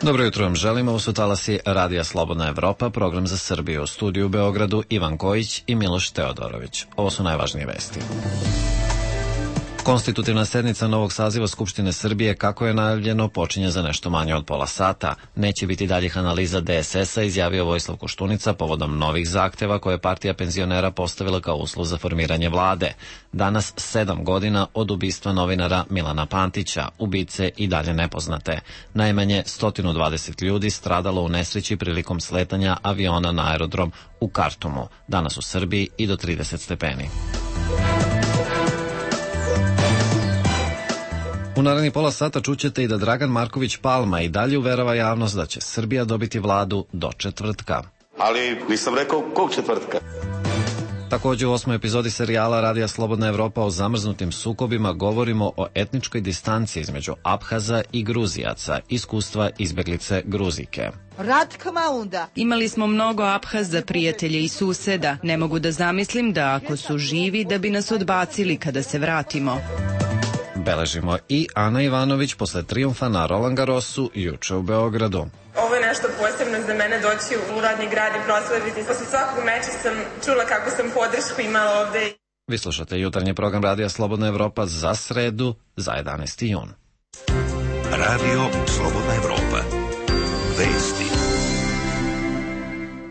Dobro jutro vam želimo, ovo su talasi Radija Slobodna Evropa, program za Srbiju. U studiju u Beogradu Ivan Kojić i Miloš Teodorović. Ovo su najvažnije vesti. Konstitutivna sednica novog saziva Skupštine Srbije, kako je najavljeno, počinje za nešto manje od pola sata. Neće biti daljih analiza DSS-a, izjavio Vojislav Koštunica povodom novih zahteva koje je partija penzionera postavila kao uslov za formiranje vlade. Danas 7 godina od ubistva novinara Milana Pantića, ubice i dalje nepoznate. Najmanje 120 ljudi stradalo u nesreći prilikom sletanja aviona na aerodrom u Kartumu. Danas u Srbiji i do 30 stepeni. U narednih pola sata čućete i da Dragan Marković Palma i dalje uverava javnost da će Srbija dobiti vladu do četvrtka. Ali nisam rekao kog četvrtka. Također u 8. epizodi serijala Radija Slobodna Evropa o zamrznutim sukobima govorimo o etničkoj distanci između Abhaza i Gruzijaca, iskustva izbeglice Gruzike. Imali smo mnogo Abhaza, prijatelje i suseda. Ne mogu da zamislim da ako su živi da bi nas odbacili kada se vratimo. Beležimo i Ana Ivanović posle trijumfa na Roland Garrosu juče u Beogradu. Ovo je nešto posebno za mene doći u rodni grad i proslaviti. Posle svakog meča sam čula kako sam podršku imala ovde. Vi slušate jutarnji program Radija Slobodna Evropa za sredu, za 11. jun. Radio Slobodna Evropa. Vesti.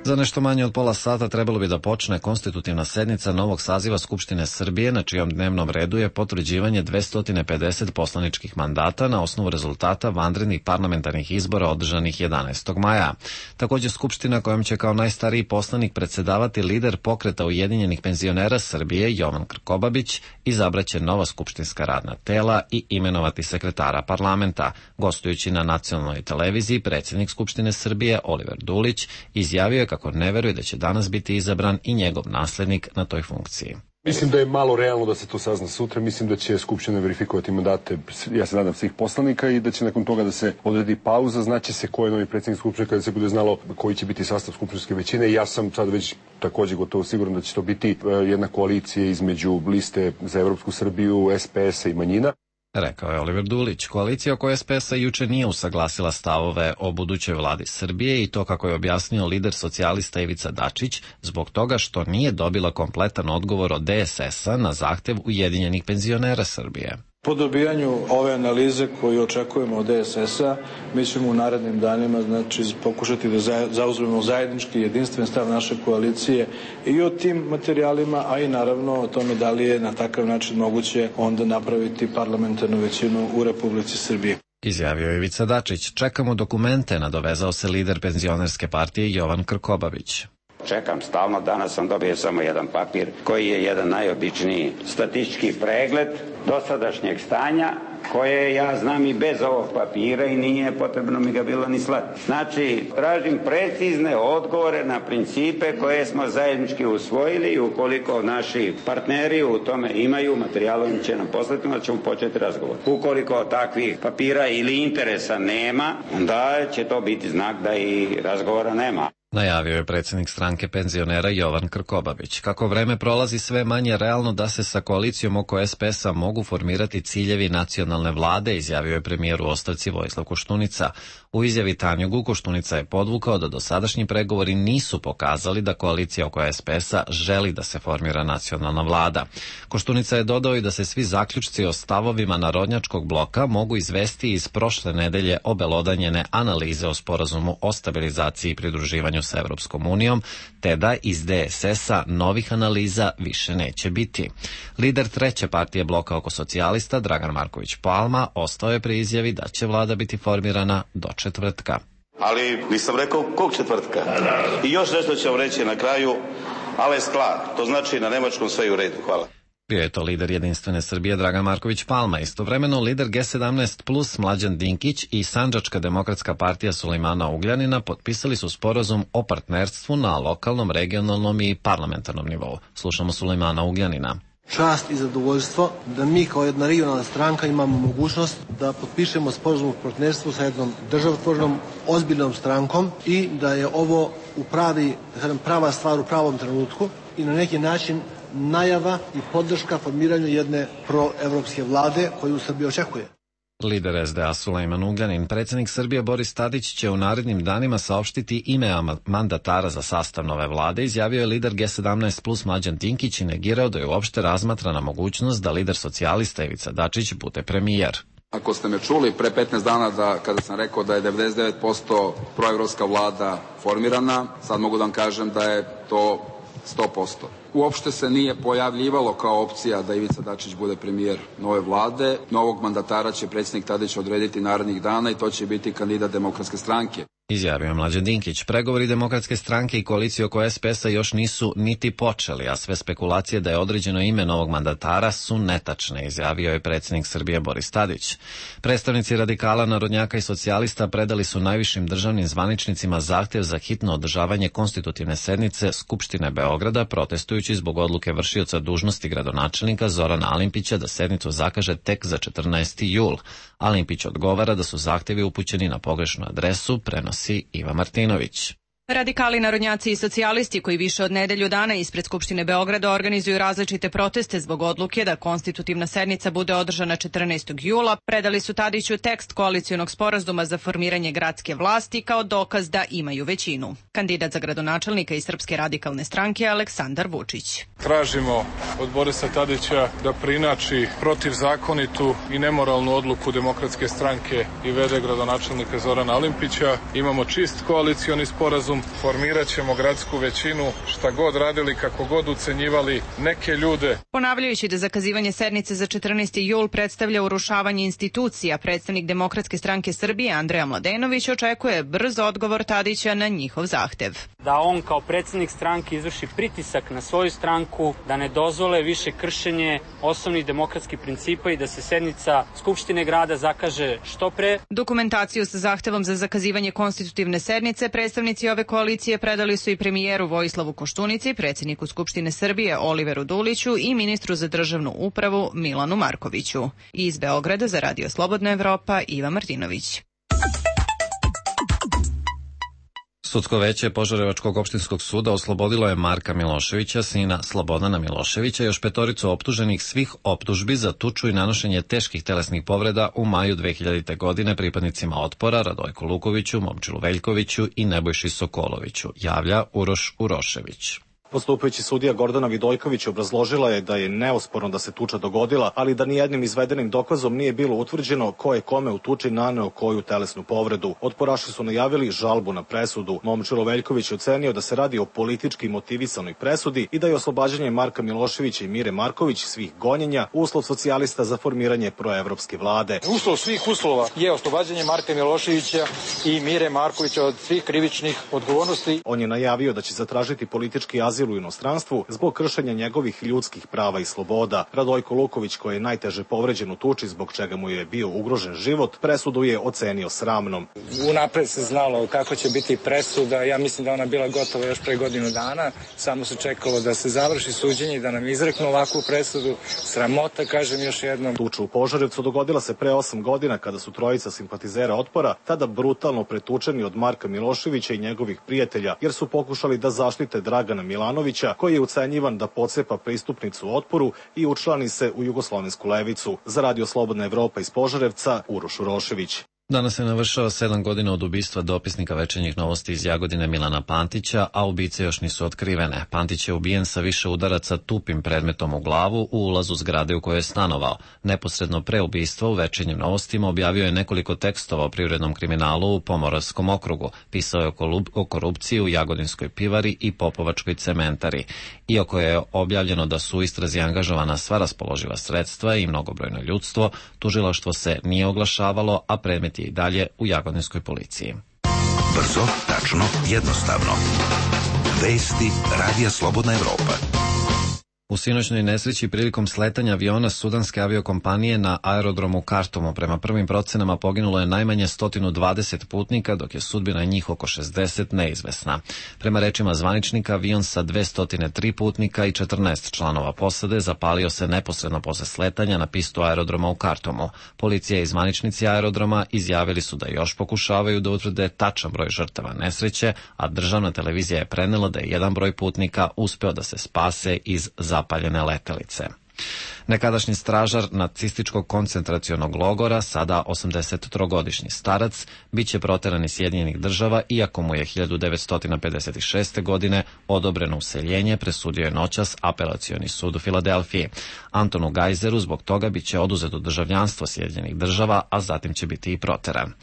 Za nešto manje od pola sata trebalo bi da počne konstitutivna sednica novog saziva Skupštine Srbije, na čijom dnevnom redu je potvrđivanje 250 poslaničkih mandata na osnovu rezultata vanrednih parlamentarnih izbora održanih 11. maja. Također Skupština kojom će kao najstariji poslanik predsedavati lider pokreta Ujedinjenih penzionera Srbije Jovan Krkobabić, izabraće nova skupštinska radna tela i imenovati sekretara parlamenta. Gostujući na nacionalnoj televiziji, predsjednik Skupštine Srbije Oliver Dulić izjavio je kako ne veruje da će danas biti izabran i njegov naslednik na toj funkciji. Mislim da je malo realno da se to sazna sutra. Mislim da će Skupština verifikovati mandate, ja se nadam, svih poslanika i da će nakon toga da se odredi pauza. Znaće se ko je novi predsjednik Skupštine kada se bude znalo koji će biti sastav skupštinske većine. Ja sam sad već također gotovo siguran da će to biti jedna koalicija između liste za Evropsku Srbiju, SPS-a i manjina. Rekao je Oliver Dulić. Koalicija oko SPS-a juče nije usaglasila stavove o budućoj vladi Srbije i to, kako je objasnio lider socijalista Ivica Dačić, zbog toga što nije dobila kompletan odgovor od DSS-a na zahtev Ujedinjenih penzionera Srbije. Po dobijanju ove analize koju očekujemo od DSS-a, mi ćemo u narednim danima pokušati da zauzmemo zajednički jedinstven stav naše koalicije i o tim materijalima, a i naravno o tome da li je na takav način moguće onda napraviti parlamentarnu većinu u Republici Srbiji. Izjavio je Ivica Dačić. Čekamo dokumente, nadovezao se lider penzionerske partije Jovan Krkobabić. Čekam stalno, danas sam dobio samo jedan papir koji je jedan najobičniji statistički pregled dosadašnjeg stanja koje ja znam i bez ovog papira i nije potrebno mi ga bilo ni slati. Znači, tražim precizne odgovore na principe koje smo zajednički usvojili i ukoliko naši partneri u tome imaju materijal, im će nam poslati, onda ćemo početi razgovor. Ukoliko takvih papira ili interesa nema, onda će to biti znak da i razgovora nema. Najavio je predsjednik stranke penzionera Jovan Krkobabić. Kako vreme prolazi, sve manje realno da se sa koalicijom oko SPS-a mogu formirati ciljevi nacionalne vlade, izjavio je premijer u ostavci Vojislav Koštunica. U izjavi Tanjugu Koštunica je podvukao da dosadašnji pregovori nisu pokazali da koalicija oko SPS-a želi da se formira nacionalna vlada. Koštunica je dodao i da se svi zaključci o stavovima narodnjačkog bloka mogu izvesti iz prošle nedelje obelodanjene analize o sporazumu o stabilizaciji i pridruživanju sa Evropskom unijom, te da iz DSS-a novih analiza više neće biti. Lider treće partije bloka oko socijalista, Dragan Marković Palma, ostao je pri izjavi da će vlada biti formirana do četvrtka. Ali nisam rekao kog četvrtka. I još nešto ću vam reći na kraju, alles klar, to znači na nemačkom sve je u redu. Hvala. Bio je to lider Jedinstvene Srbije Dragan Marković Palma. Istovremeno lider G17 plus Mlađan Dinkić i Sandžačka demokratska partija Sulejmana Ugljanina potpisali su sporazum o partnerstvu na lokalnom, regionalnom i parlamentarnom nivou. Slušamo Sulejmana Ugljanina. Čast i zadovoljstvo da mi kao jedna regionalna stranka imamo mogućnost da potpišemo sporazum o partnerstvu sa jednom državotvornom, ozbiljnom strankom i da je ovo prava stvar u pravom trenutku i na neki način najava i podrška formiranju jedne proevropske vlade koju Srbija očekuje. Lider SDA Sulejman Ugljanin, predsjednik Srbije Boris Tadić će u narednim danima saopštiti ime mandatara za sastav nove vlade, izjavio je lider G17 plus Mlađan Dinkić i negirao da je uopšte razmatrana mogućnost da lider socijalista Ivica Dačić bude premijer. Ako ste me čuli pre 15 dana kada sam rekao da je 99% proevropska vlada formirana, sad mogu da vam kažem da je to 100%. Uopšte se nije pojavljivalo kao opcija da Ivica Dačić bude premijer nove vlade. Novog mandatara će predsjednik Tadić odrediti narednih dana i to će biti kandidat Demokratske stranke. Izjavio je Mlađan Dinkić. Pregovori Demokratske stranke i koalicije oko SPS-a još nisu niti počeli, a sve spekulacije da je određeno ime novog mandatara su netačne, izjavio je predsjednik Srbije Boris Tadić. Predstavnici radikala, narodnjaka i socijalista predali su najvišim državnim zvaničnicima zahtjev za hitno održavanje konstitutivne sednice Skupštine Beograda, protestujući zbog odluke vršioca dužnosti gradonačelnika Zorana Alimpića da sednicu zakaže tek za 14. jul. Alimpić odgovara da su zahtjevi upućeni na pogrešnu adresu, prenosi Iva Martinović. Radikali, narodnjaci i socijalisti koji više od nedelju dana ispred Skupštine Beograda organizuju različite proteste zbog odluke da konstitutivna sednica bude održana 14. jula, predali su Tadiću tekst koalicionog sporazuma za formiranje gradske vlasti kao dokaz da imaju većinu. Kandidat za gradonačelnika iz Srpske radikalne stranke Aleksandar Vučić. Tražimo od Borisa Tadića da preinači protivzakonitu i nemoralnu odluku Demokratske stranke i v.d. gradonačelnika Zorana Alimpića. Imamo čist koalicioni sporazum, formirat ćemo gradsku većinu, šta god radili, kako god ucenjivali neke ljude. Ponavljajući da zakazivanje sednice za 14. jul predstavlja urušavanje institucija, predstavnik Demokratske stranke Srbije Andreja Mladenović očekuje brz odgovor Tadića na njihov zahtev. Da on kao predsednik stranke izvrši pritisak na svoju stranku, da ne dozvole više kršenje osnovnih demokratskih principa i da se sednica Skupštine grada zakaže što pre. Dokumentaciju sa zahtevom za zakazivanje konstitutivne sednice predstavnici ove koalicije predali su i premijeru Vojislavu Koštunici, predsjedniku Skupštine Srbije Oliveru Duliću i ministru za državnu upravu Milanu Markoviću. Iz Beograda za Radio Slobodna Evropa Iva Martinović. Sudsko veće Požarevačkog opštinskog suda oslobodilo je Marka Miloševića, sina Slobodana Miloševića, još petoricu optuženih svih optužbi za tuču i nanošenje teških telesnih povreda u maju 2000. godine pripadnicima Otpora Radojku Lukoviću, Momčilu Veljkoviću i Nebojši Sokoloviću, javlja Uroš Urošević. Postupajući sudija Gordana Vidojković obrazložila je da je neosporno da se tuča dogodila, ali da nijednim izvedenim dokazom nije bilo utvrđeno ko je kome u tuči naneo koju telesnu povredu. Otporaši su najavili žalbu na presudu. Momčilo Veljković je ocenio da se radi o politički motivisanoj presudi i da je oslobađanje Marka Miloševića i Mire Marković svih gonjenja uslov socijalista za formiranje proevropske vlade. Uslov svih uslova je oslobađanje Marka Miloševića i Mire Markovića od svih krivičnih odgovornosti. On je najavio da će zatražiti politički azil u inostranstvu zbog kršenja njegovih ljudskih prava i sloboda. Radojko Luković, koji je najteže povređen u tuči zbog čega mu je bio ugrožen život, presudu je ocenio sramnom. Unapred se znalo kako će biti presuda, ja mislim da ona bila gotova još pre godinu dana, samo se čekalo da se završi suđenje i da nam izreknu ovakvu presudu. Sramota, kažem još jednom. Tuča u Požarevcu dogodila se pre 8 godina kada su trojica simpatizera Otpora tada brutalno pretučeni od Marka Miloševića i njegovih prijatelja, jer su pokušali da zaštite Dragana Milanovića, koji je ucenjivan da pocepa pristupnicu Otporu i učlani se u jugoslovensku levicu. Za Radio Slobodna Evropa iz Požarevca, Uroš Urošević. Danas se navršava 7 godina od ubistva dopisnika Večernjih novosti iz Jagodine Milana Pantića, a ubice još nisu otkrivene. Pantić je ubijen sa više udaraca tupim predmetom u glavu u ulazu zgrade u kojoj je stanovao. Neposredno pre ubistva u Večernjim novostima objavio je nekoliko tekstova o privrednom kriminalu u Pomoravskom okrugu. Pisao je o korupciji u Jagodinskoj pivari i Popovačkoj cementari. Iako je objavljeno da su u istrazi angažovana sva raspoloživa sredstva i mnogobrojno ljudstvo, tužilaštvo se nije oglašavalo, a predmet je i dalje u Jagodinskoj policiji. Brzo, tačno, jednostavno. Vesti Radija Slobodna Evropa. U sinoćnoj nesreći prilikom sletanja aviona sudanske aviokompanije na aerodromu Kartumu prema prvim procenama poginulo je najmanje 120 putnika, dok je sudbina njih oko 60 neizvesna. Prema rečima zvaničnika, avion sa 203 putnika i 14 članova posade zapalio se neposredno posle sletanja na pistu aerodroma u Kartumu. Policija i zvaničnici aerodroma izjavili su da još pokušavaju da utvrde tačan broj žrtava nesreće, a državna televizija je prenela da je jedan broj putnika uspeo da se spase iz zapaljene letelice. Nekadašnji stražar nacističkog koncentracionog logora, sada 83-godišnji starac, bit će proteran iz Sjedinjenih Država, iako mu je 1956. godine odobreno useljenje, presudio je noćas Apelacioni sud u Filadelfiji. Antonu Gajzeru zbog toga bit će oduzeto državljanstvo Sjedinjenih Država, a zatim će biti i proteran.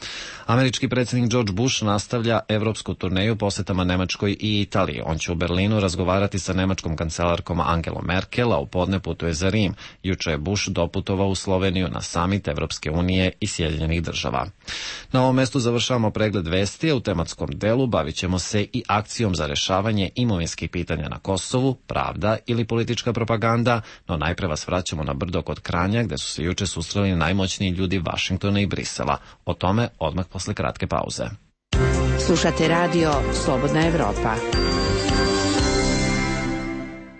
Američki predsjednik George Bush nastavlja evropsku turneju posetama Nemačkoj i Italiji. On će u Berlinu razgovarati sa nemačkom kancelarkom Angelom Merkel, a u podne putuje za Rim. Juče je Bush doputovao u Sloveniju na samit Evropske unije i Sjedinjenih Država. Na ovom mestu završavamo pregled vesti, a u tematskom delu bavit ćemo se i akcijom za rešavanje imovinskih pitanja na Kosovu, pravda ili politička propaganda, no najpre vas vraćamo na brdo kod Kranja, gde su se juče susreli najmoćniji ljudi Vašingtona i Brisela. O tome odmah posle kratke pauze. Slušate radio Slobodna Evropa.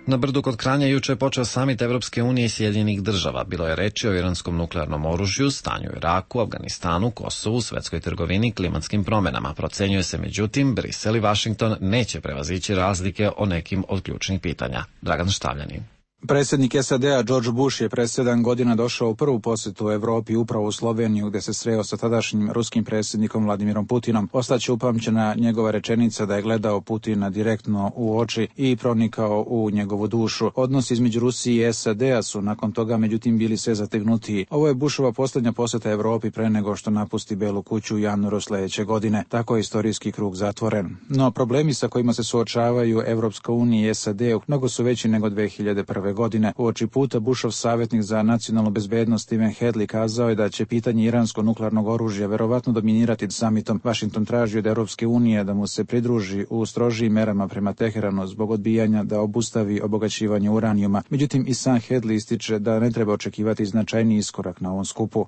Na brdu kod Kranja juče je počeo samit Evropske unije i Sjedinjenih Država. Bilo je reči o iranskom nuklearnom oružju, stanju u Iraku, Afganistanu, Kosovu, svetskoj trgovini i klimatskim promenama. Procenjuje se, međutim, Brisel i Vašington neće prevazići razlike o nekim od ključnih pitanja. Dragan Štavljanin. Predsjednik SAD-a George Bush je pre 7 godina došao u prvu posjetu u Evropi, upravo u Sloveniju, gde se sreo sa tadašnjim ruskim predsjednikom Vladimirom Putinom. Ostaće upamćena njegova rečenica da je gledao Putina direktno u oči i pronikao u njegovu dušu. Odnosi između Rusije i SAD-a su nakon toga međutim bili sve zategnutiji. Ovo je Bushova posljednja posjeta Evropi pre nego što napusti Belu kuću u januaru sledeće godine. Tako je istorijski krug zatvoren. No problemi sa kojima se suočavaju Evropska unija i SAD mnogo su veći nego 2001. godine. Uoči puta Bushov savjetnik za nacionalnu bezbednost Stephen Hadley kazao je da će pitanje iransko-nuklearnog oružja verovatno dominirati samitom. Washington traži od Europske unije da mu se pridruži u strožijim merama prema Teheranu zbog odbijanja da obustavi obogaćivanje uranijuma. Međutim, i sam Hadley ističe da ne treba očekivati značajni iskorak na ovom skupu.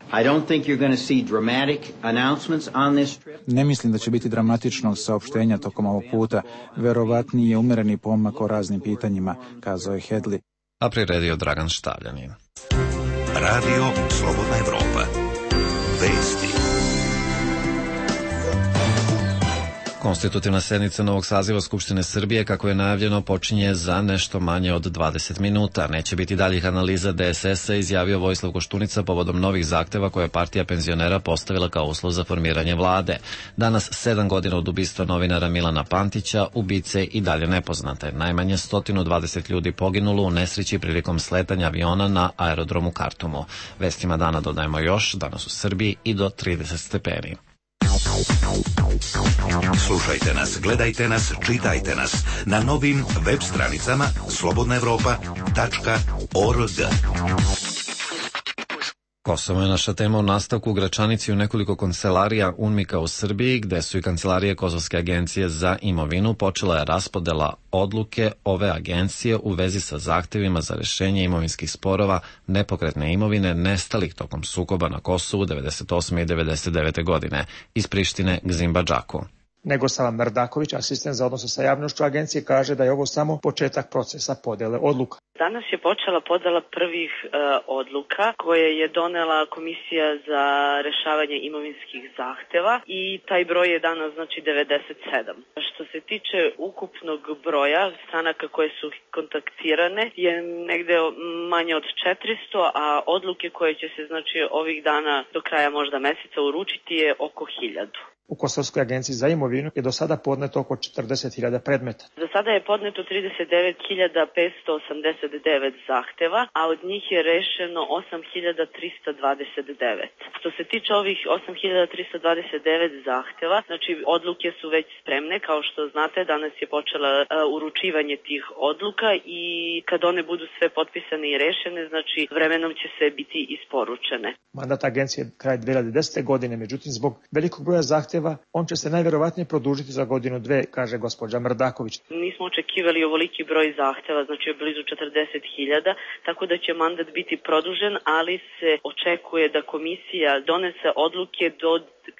Ne mislim da će biti dramatičnog saopštenja tokom ovog puta. Verovatniji je umereni pomak o raznim pitanjima, kazao je Hadley. A priredio Dragan Štavljanin. Radio Slobodna Evropa. Vesti. Konstitutivna sednica novog saziva Skupštine Srbije, kako je najavljeno, počinje za nešto manje od 20 minuta. Neće biti daljih analiza DSS-a, izjavio Vojislav Koštunica povodom novih zahteva koje je partija penzionera postavila kao uslov za formiranje vlade. Danas, 7 godina od ubistva novinara Milana Pantića, ubice i dalje nepoznate. Najmanje 120 ljudi poginulo u nesreći prilikom sletanja aviona na aerodromu Kartumu. Vestima dana dodajemo još, danas u Srbiji i do 30 stepeni. Slušajte nas, gledajte nas, čitajte nas na novim web stranicama slobodnaevropa.org. Kosovo je naša tema u nastavku. U Gračanici u nekoliko kancelarija UNMIK-a u Srbiji, gde su i kancelarije Kosovske agencije za imovinu, počela je raspodela odluke ove agencije u vezi sa zahtevima za rešenje imovinskih sporova nepokretne imovine nestalih tokom sukoba na Kosovu 98. i 99. godine. Iz Prištine Gzimba Džaku. Negosava Mrdaković, asistent za odnose sa javnošću agencije, kaže da je ovo samo početak procesa podele odluka. Danas je počela podela prvih odluka koje je donela Komisija za rešavanje imovinskih zahteva i taj broj je danas znači 97. Što se tiče ukupnog broja stranaka koje su kontaktirane je negde manje od 400, a odluke koje će se znači ovih dana do kraja možda meseca uručiti je oko 1000. U Kosovskoj agenciji za imovinu je do sada podneto oko 40.000 predmeta. Za sada je podneto 39.589 zahteva, a od njih je rešeno 8.329. Što se tiče ovih 8.329 zahteva, znači odluke su već spremne, kao što znate, danas je počela uručivanje tih odluka i kad one budu sve potpisane i rešene, znači vremenom će sve biti isporučene. Mandat agencije je kraj 2010. godine, međutim zbog velikog broja zahteva on će se najverovatnije produžiti za godinu dve, kaže gospođa Mrdaković. Nismo očekivali ovoliki broj zahteva, znači blizu 40.000, tako da će mandat biti produžen, ali se očekuje da komisija donese odluke do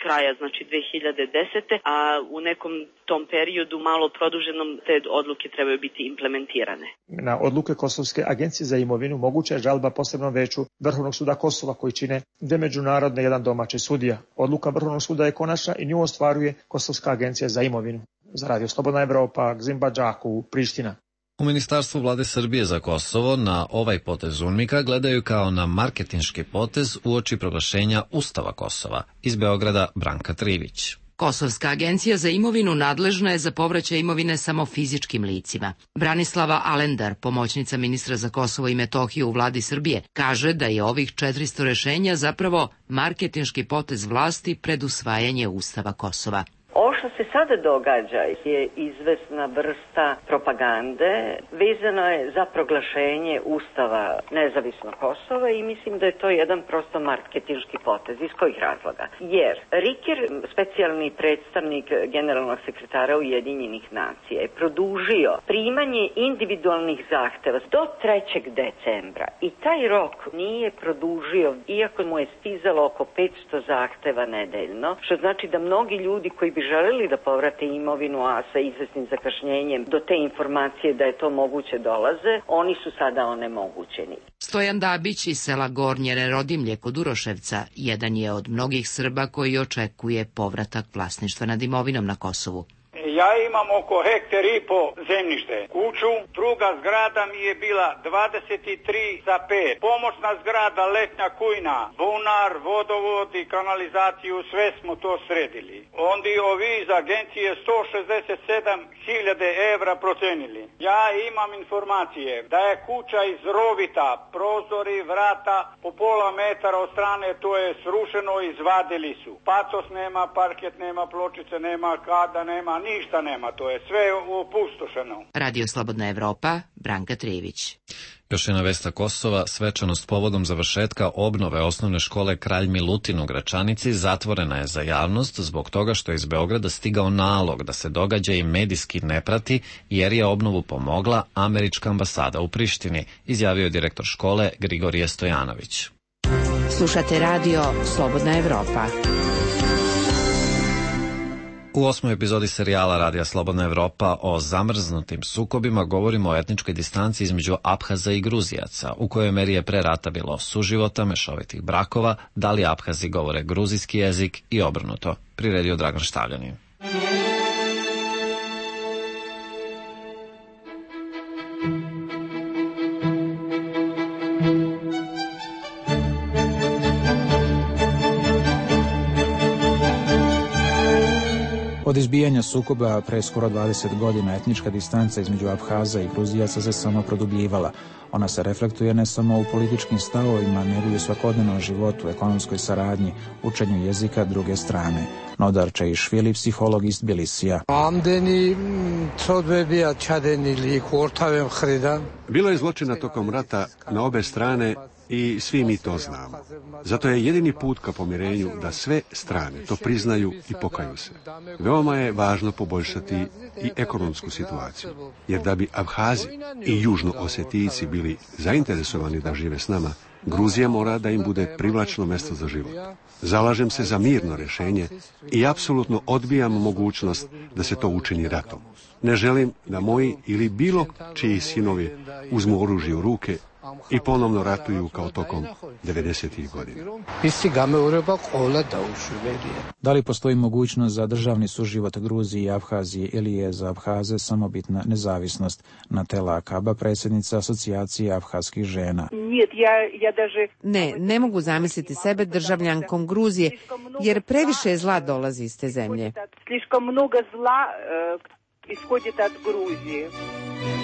kraja, znači 2010. a u nekom tom periodu malo produženom te odluke trebaju biti implementirane. Na odluke Kosovske agencije za imovinu moguća je žalba posebnom veću Vrhovnog suda Kosova koji čine 2 međunarodne i 1 domaći sudija. Odluka Vrhovnog suda je konačna i nju ostvaruje Kosovska agencija za imovinu. Za Radio Slobodna Evropa, Gzimba Džaku, Priština. U Ministarstvu vlade Srbije za Kosovo na ovaj potez UNMIK-a gledaju kao na marketinški potez uoči proglašenja Ustava Kosova. Iz Beograda Branka Trivić. Kosovska agencija za imovinu nadležna je za povraćaj imovine samo fizičkim licima. Branislava Alendar, pomoćnica ministra za Kosovo i Metohiju u vladi Srbije, kaže da je ovih 400 rešenja zapravo marketinški potez vlasti pred usvajanje Ustava Kosova. Ovo što se sada događa je izvesna vrsta propagande, vezano je za proglašenje Ustava nezavisnog Kosova i mislim da je to jedan prosto marketinški potez. Iz kojih razloga? Jer Riker, specijalni predstavnik generalnog sekretara Ujedinjenih nacija, je produžio primanje individualnih zahteva do 3. decembra i taj rok nije produžio, iako mu je stizalo oko 500 zahteva nedeljno, što znači da mnogi ljudi koji bi želeli da povrate imovinu, a sa izvesnim zakašnjenjem do te informacije da je to moguće dolaze, oni su sada onemogućeni. Stojan Dabić iz sela Gornje Nerodimlje kod Uroševca jedan je od mnogih Srba koji očekuje povratak vlasništva nad imovinom na Kosovu. Ja imam oko hektar i po zemljište, kuću, druga zgrada mi je bila 23 za 5, pomoćna zgrada, letnja kujna, bunar, vodovod i kanalizaciju, sve smo to sredili. Onda ovi iz agencije 167.000 evra procenili. Ja imam informacije da je kuća iz rovita, prozori, vrata po pola metara od strane, to je srušeno, izvadili su. Pacos nema, parket nema, pločice nema, kada nema, ništa nema, to je sve opustošeno. Radio Slobodna Evropa, Branka Trivić. Još jedna vesta Kosova, svečanost povodom završetka obnove osnovne škole Kralj Milutin u Gračanici zatvorena je za javnost zbog toga što je iz Beograda stigao nalog da se događaj medijski ne prati jer je obnovu pomogla američka ambasada u Prištini, izjavio direktor škole Grigorije Stojanović. Slušate radio Slobodna Evropa. U 8. epizodi serijala Radija Slobodna Evropa o zamrznutim sukobima govorimo o etničkoj distanci između Aphaza i Gruzijaca, u kojoj meri je pre rata bilo suživota, mešovitih brakova, da li Aphazi govore gruzijski jezik i obrnuto, priredio Dragan Štavljanin. Od izbijanja sukoba pre skoro 20 godina etnička distanca između Aphaza i Gruzijaca se samo produbljivala. Ona se reflektuje ne samo u političkim stavovima, nego i u svakodnevnom životu, ekonomskoj saradnji, učenju jezika druge strane. Nodar Čeišvili, psiholog iz Tbilisija. Bilo je zločina tokom rata na obe strane i svi mi to znamo. Zato je jedini put ka pomirenju da sve strane to priznaju i pokaju se. Veoma je važno poboljšati i ekonomsku situaciju, jer da bi Aphazi i Južno-Osetijci bili zainteresovani da žive s nama, Gruzija mora da im bude privlačno mesto za život. Zalažem se za mirno rešenje i apsolutno odbijam mogućnost da se to učini ratom. Ne želim da moji ili bilo čiji sinovi uzmu oružje u ruke i ponovno ratuju kao tokom 90-ih godina. Da li postoji mogućnost za državni suživot Gruzije i Aphazije ili je za Aphaze samobitna nezavisnost? Natela Akaba, predsjednica asocijacije aphazskih žena. Ne mogu zamisliti sebe državljankom Gruzije, jer previše zla dolazi iz te zemlje.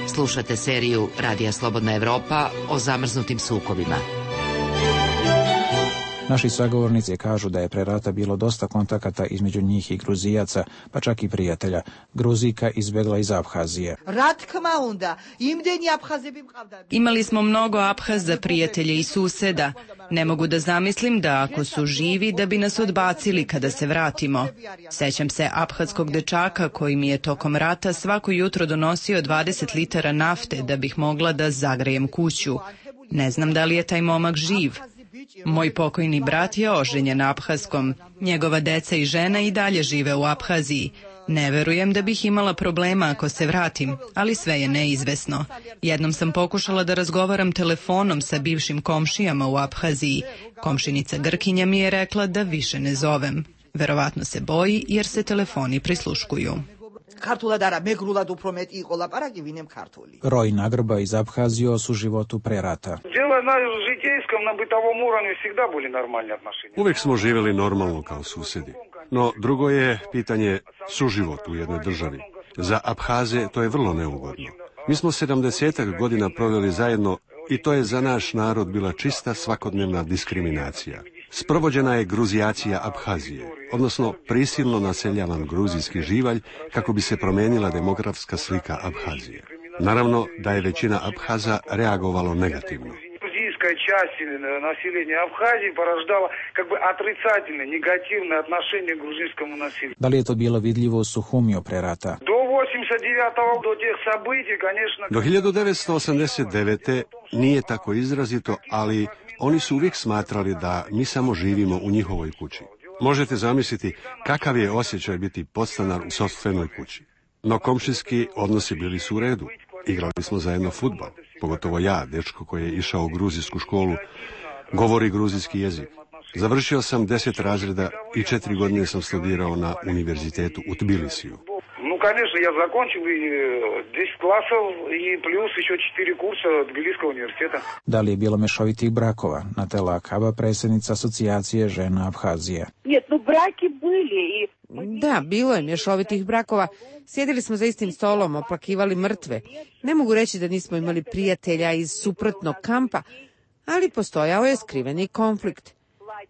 Slušate seriju Radija Slobodna Evropa o zamrznutim sukobima. Naši sagovornici kažu da je pre rata bilo dosta kontakata između njih i Gruzijaca, pa čak i prijatelja. Gruzijka izbegla iz Aphazije. Imali smo mnogo Aphaza, prijatelje i suseda. Ne mogu da zamislim da ako su živi da bi nas odbacili kada se vratimo. Sećam se aphatskog dečaka koji mi je tokom rata svako jutro donosio 20 litara nafte da bih mogla da zagrejem kuću. Ne znam da li je taj momak živ. Moj pokojni brat je oženjen na Aphazskom. Njegova deca i žena i dalje žive u Aphaziji. Ne verujem da bih imala problema ako se vratim, ali sve je neizvesno. Jednom sam pokušala da razgovaram telefonom sa bivšim komšijama u Aphaziji. Komšinica Grkinja mi je rekla da više ne zovem. Verovatno se boji jer se telefoni prisluškuju. Roj Nagrba iz Abhazije o suživotu pre rata. Uvijek smo živjeli normalno kao susjedi. No, drugo je pitanje suživot u jednoj državi. Za Abhaze to je vrlo neugodno. Mi smo 70 godina proveli zajedno i to je za naš narod bila čista svakodnevna diskriminacija. Sprovođena je gruzijacija Abhazije, odnosno prisilno naseljavan gruzijski živalj kako bi se promijenila demografska slika Abhazije. Naravno da je većina Abhaza reagovalo negativno. Часть населения Абхазии порождала как бы отрицательное, негативное отношение к грузинскому населению. Da li je to bilo vidljivo u Suhumiju pre rata? До 89-го, до тех событий, конечно... Do 1989. nije tako izrazito, ali oni su uvijek smatrali da mi samo živimo u njihovoj kući. Možete zamisliti kakav je osjećaj biti podstanar u sopstvenoj kući. No komšijski odnosi bili su u redu. Igrali smo zajedno fudbal, pogotovo ja, dečko koji je išao u gruzijsku školu, govori gruzijski jezik. Završio sam 10 razreda i 4 godine sam studirao na univerzitetu u Tbilisiju. Ну, конечно, я закончил и 10 классов, и плюс еще 4 курса Тбилисского университета. Da li je bilo mešovitih brakova? Natela Akaba, predsjednica asocijacije žena Abhazije. Нет, ну браки были и... Da, bilo je mješovitih brakova. Sjedili smo za istim stolom, oplakivali mrtve. Ne mogu reći da nismo imali prijatelja iz suprotnog kampa, ali postojao je skriveni konflikt.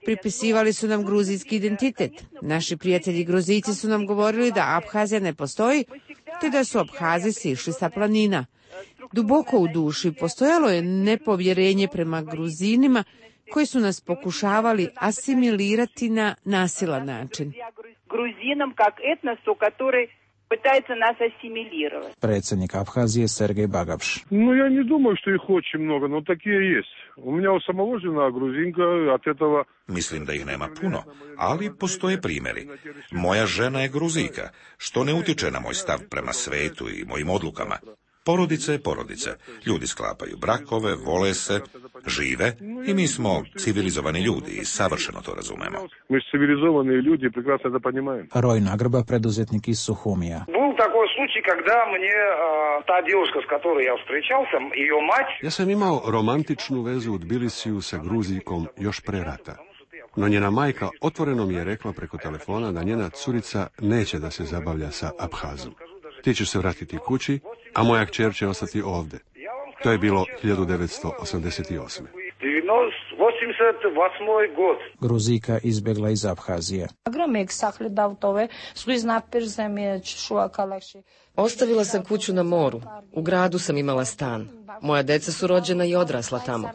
Pripisivali su nam gruzijski identitet. Naši prijatelji Gruzijci su nam govorili da Abhazija ne postoji, te da su Abhazi sišli sa planina. Duboko u duši postojalo je nepovjerenje prema Gruzinima koji su nas pokušavali asimilirati na nasilan način. Грузинам как этносу, который пытается нас ассимилировать. Predsjednik Abhazije Sergej Bagapš. Ну, я не думаю, что их очень много, но такие есть. У меня у самого жена грузинка, от этого... Mislim da ih nema puno, ali postoje primjeri. Moja žena je Gruzijka, što ne utječe na moj stav prema svetu i mojim odlukama. Porodica je porodica. Ljudi sklapaju brakove, vole se, žive i mi smo civilizovani ljudi i savršeno to razumemo. Mi smo civilizovani ljudi i prekrasno da poнимаем. Roj Nagrba, preduzetnik iz Suhumija. Был такой случай, когда мне та девушка, с которой я встречался, ее мать... Ja sam imao romantičnu vezu u Tbilisiju sa Gruzijkom još pre rata. No njena majka otvoreno mi je rekla preko telefona da njena curica neće da se zabavlja sa Abhazom. Ti ćeš se vratiti kući, a moja kćer će ostati ovdje. To je bilo 1988. Gruzijka izbjegla iz Abhazije. Ostavila sam kuću na moru. U gradu sam imala stan. Moja deca su rođena i odrasla tamo.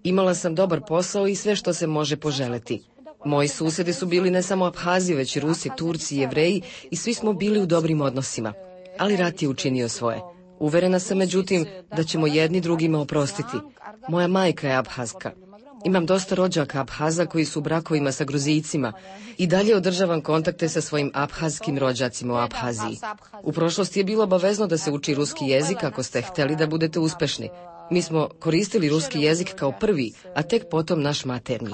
Imala sam dobar posao i sve što se može poželeti. Moji susjedi su bili ne samo Abhazi, već i Rusi, Turci, Jevreji i svi smo bili u dobrim odnosima. Ali rat je učinio svoje. Uverena sam, međutim, da ćemo jedni drugima oprostiti. Moja majka je Abhazka. Imam dosta rođaka Abhaza koji su u brakovima sa Gruzijcima i dalje održavam kontakte sa svojim abhazskim rođacima u Abhaziji. U prošlosti je bilo obavezno da se uči ruski jezik ako ste htjeli da budete uspešni. Mi smo koristili ruski jezik kao prvi, a tek potom naš materni.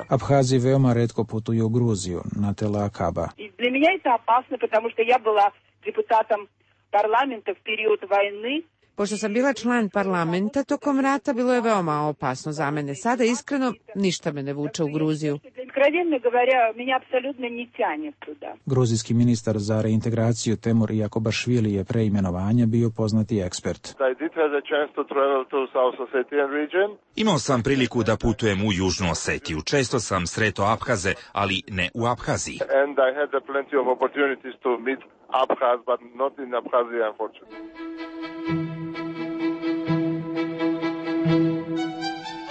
Abhazi veoma retko putuju u Gruziju, Natela Akaba. Для меня это опасно, потому что я была депутатом парламента в период войны. Pošto sam bila član parlamenta tokom rata, bilo je veoma opasno za mene. Sada, iskreno, ništa me ne vuče u Gruziju. Gruzijski ministar za reintegraciju Temur Jakobašvili je pre imenovanja bio poznati ekspert. Imao sam priliku da putujem u Južnu Osetiju. Često sam sretao Abhaze, ali ne u Abhaziji.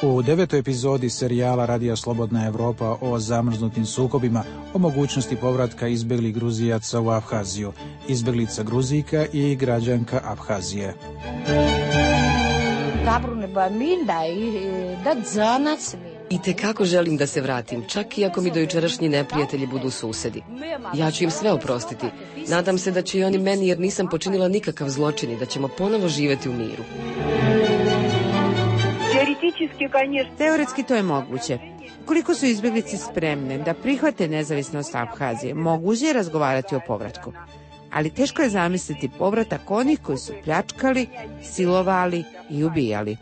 U 9. epizodi serijala Radija Slobodna Evropa o zamrznutim sukobima, o mogućnosti povratka izbeglih Gruzijaca u Abhaziju, izbeglica Gruzijka i građanka Abhazije. I tekako želim da se vratim, čak i ako mi dojučerašnji neprijatelji budu susedi. Ja ću im sve oprostiti. Nadam se da će i oni meni, jer nisam počinila nikakav zločin i da ćemo ponovo živjeti u miru. Teoretski to je moguće. Koliko su izbjeglice spremne da prihvate nezavisnost Aphazije, moguće je razgovarati o povratku. Ali teško je zamisliti povratak onih koji su pljačkali, silovali i ubijali.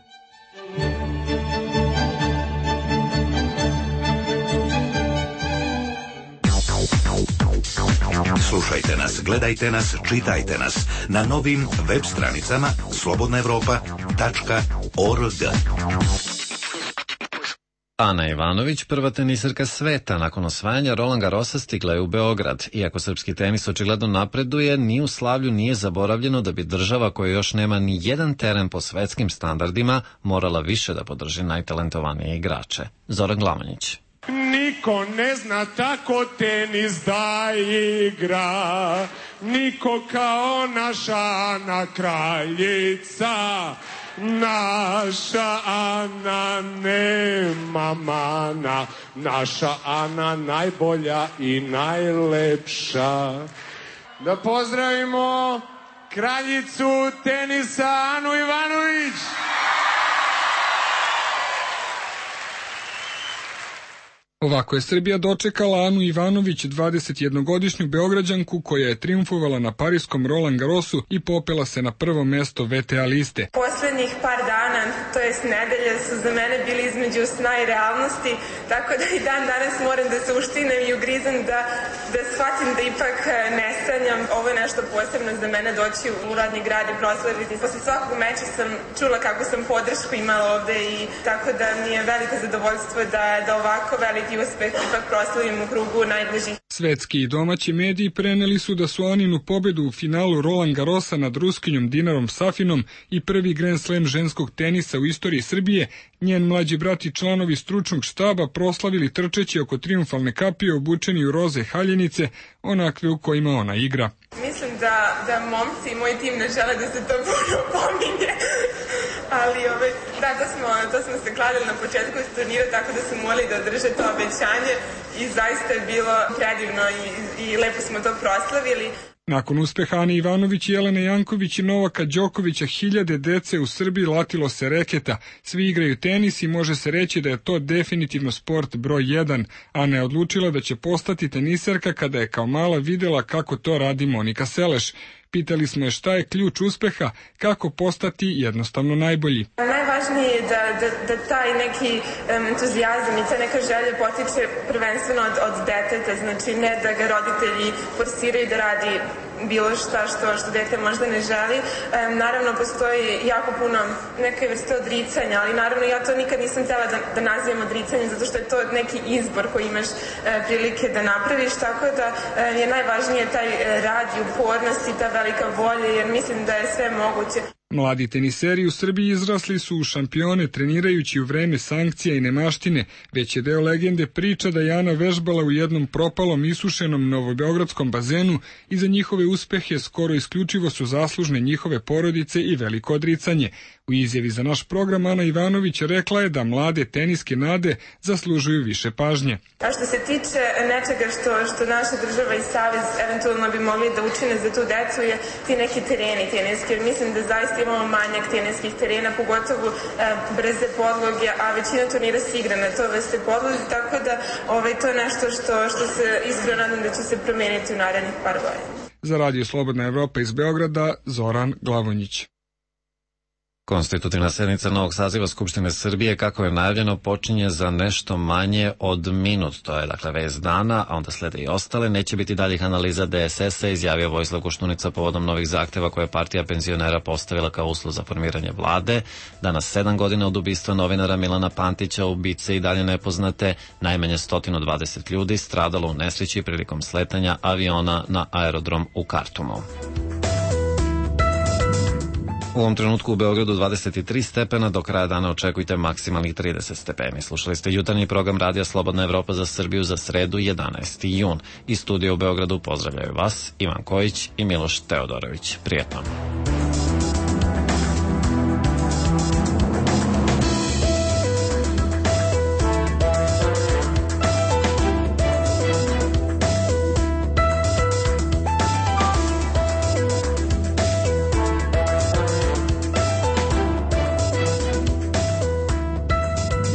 Slušajte nas, gledajte nas, čitajte nas na novim web stranicama slobodnaevropa.org. Ana Ivanović, prva teniserka sveta, nakon osvajanja Roland Garrosa stigla je u Beograd. Iako srpski tenis očigledno napreduje, ni u slavlju nije zaboravljeno da bi država koja još nema ni jedan teren po svetskim standardima morala više da podrži najtalentovanije igrače. Zoran Glamonjić. Niko ne zna tako tenis da igra, niko kao naša Ana kraljica. Naša Ana nema mana, naša Ana najbolja i najlepša. Da pozdravimo kraljicu tenisa Anu Ivanović. Ovako je Srbija dočekala Anu Ivanović, 21-godišnju Beograđanku koja je triumfovala na pariskom Roland Garrosu i popela se na prvo mesto VTA liste. Poslednjih par dana, to jest nedelje, su za mene bili između sna i realnosti, tako da i dan danas moram da se uštinem i ugrizem da shvatim da ipak ne sanjam. Ovo je nešto posebno za mene, doći u rodni grad i proslaviti. Posle svakog meča sam čula kako sam podršku imala ovde i tako da mi je veliko zadovoljstvo da ovako veliki uspeh ipak proslavim u krugu najbližih. Svetski i domaći mediji preneli su da su Aninu pobedu u finalu Roland Garrosa nad Ruskinjom Dinarom Safinom i prvi Grand Slam ženskog tenisa u istoriji Srbije, njen mlađi brat i članovi stručnog štaba proslavili trčeći oko triumfalne kapije obučeni u roze haljenice, onakve u kojima ona igra. Mislim da momci i moj tim ne žele da se to puno pominje. Ali da, to smo se kladili na početku turnira, tako da smo morali da održe to obećanje i zaista je bilo predivno i lepo smo to proslavili. Nakon uspeha Ane Ivanović, Jelene Janković i Novaka Đokovića, hiljade dece u Srbiji latilo se reketa. Svi igraju tenis i može se reći da je to definitivno sport broj 1. Ana je odlučila da će postati teniserka kada je kao mala videla kako to radi Monika Seleš. Pitali smo je šta je ključ uspeha, kako postati jednostavno najbolji. Najvažnije je da taj neki entuzijazam i ta neka želja potiče prvenstveno od deteta, znači ne da ga roditelji forsiraju da radi bilo šta što dete možda ne želi. Naravno, postoji jako puno neke vrste odricanja, ali naravno ja to nikad nisam htjela da nazivam odricanjem, zato što je to neki izbor koji imaš prilike da napraviš, tako da je najvažnije taj rad i upornost i ta velika volja, jer mislim da je sve moguće. Mladi teniseri u Srbiji izrasli su u šampione trenirajući u vreme sankcija i nemaštine, već je deo legende priča da je Ana vežbala u jednom propalom isušenom novobeogradskom bazenu i za njihove uspehe skoro isključivo su zaslužne njihove porodice i veliko odricanje. U izjavi za naš program Ana Ivanović rekla je da mlade teniske nade zaslužuju više pažnje. A što se tiče nečega što naša država i savez eventualno bi mogli da učine za tu decu je ti neki tereni teniski, jer mislim da zaista imamo manjak teniskih terena, pogotovo brze podloge, a većina turnira se igra na to vrste podlozi, tako da to je nešto što se iskreno nadam da će se promeniti u narednih par godina. Za Radio Slobodna Evropa iz Beograda, Zoran Glavonjić. Konstitutivna sednica novog saziva Skupštine Srbije, kako je najavljeno, počinje za nešto manje od minut. To je dakle vest dana, a onda slede i ostale. Neće biti daljih analiza DSS-a, izjavio Vojislav Koštunica povodom novih zahteva koje je partija penzionera postavila kao uslov za formiranje vlade. Danas 7 godina od ubistva novinara Milana Pantića, ubice i dalje nepoznate, najmanje 120 ljudi stradalo u nesreći prilikom sletanja aviona na aerodrom u Kartumu. U ovom trenutku u Beogradu 23 stepena, do kraja dana očekujte maksimalnih 30 stepeni. Slušali ste jutarnji program Radija Slobodna Evropa za Srbiju za sredu 11. jun. Iz studija u Beogradu pozdravljaju vas Ivan Kojić i Miloš Teodorović. Prijetno.